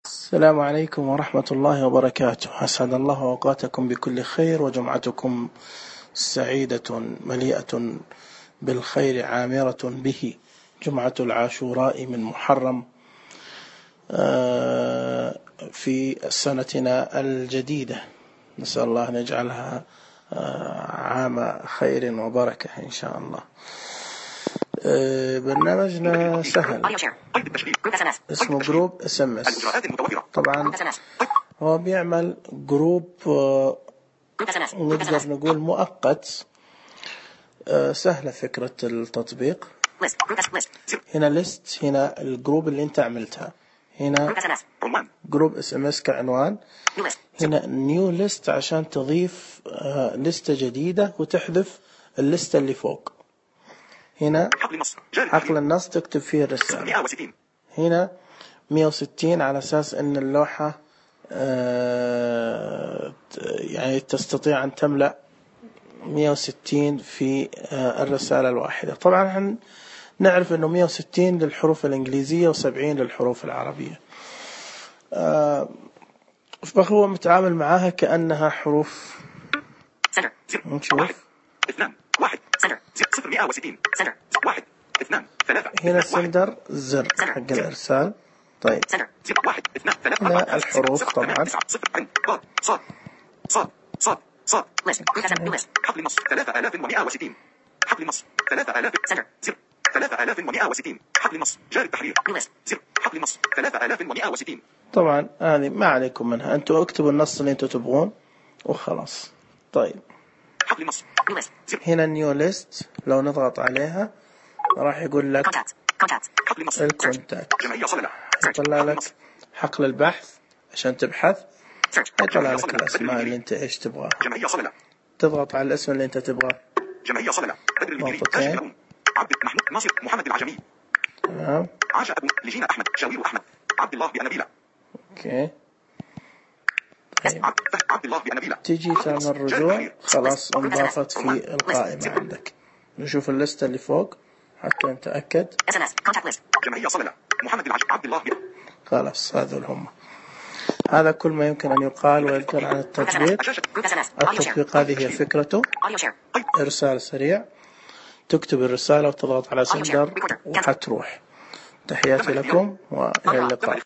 السلام عليكم ورحمة الله وبركاته. أسعد الله أوقاتكم بكل خير وجمعتكم سعيدة مليئة بالخير عامرة به، جمعة العاشوراء من محرم في سنتنا الجديدة. نسأل الله أن يجعلها عام خير وبركة إن شاء الله. برنامجنا سهل، اسمه جروب SMS. طبعا هو بيعمل جروب نقدر نقول مؤقت. سهلة فكرة التطبيق. هنا ليست، هنا الجروب اللي انت عملتها، هنا جروب SMS كعنوان، هنا نيو ليست عشان تضيف لستة جديدة وتحذف اللستة اللي فوق. هنا حقل النص تكتب فيه الرسالة. هنا 160 على أساس أن اللوحة يعني تستطيع أن تملأ 160 في الرسالة الواحدة. طبعا نعرف أنه 160 للحروف الإنجليزية و70 للحروف العربية. فهو متعامل معها كأنها حروف. نشوف هنا السندر زر حق الإرسال. طيب هنا الحروف طبعا حقل مصر 3160 حقل مصر 3160 حقل مصر جار التحرير حقل مصر 3160. طبعا هذه ما عليكم منها، أنتوا اكتبوا النص اللي أنتوا تبغون وخلاص. طيب حقل مصر هنا نيو ليست، لو نضغط عليها راح يقول لك الكونتاكت، يطلع لك حقل البحث عشان تبحث، يطلع لك الأسماء اللي أنت إيش تبغى. تضغط على الاسم اللي أنت تبغاه. جمعية صللة بدر المديري عبد محمود ناصر محمد العجمي. تمام. عاشا أبو لجينا أحمد شاوير أحمد عبد الله بأنابيلة. أوكي. طيب. عبد الله بأنابيلة. تيجي تعمل رجوع، خلاص انضافت في القائمة عندك. نشوف الليستة اللي فوق حتى نتأكد. جمعية صللة محمد العجمي عبد الله خلاص هذول هم. هذا كل ما يمكن أن يقال ويذكر عن التطبيق. التطبيق هذه هي فكرته، إرسال سريع، تكتب الرسالة وتضغط على سندر وحتروح. تحياتي لكم وإلى اللقاء.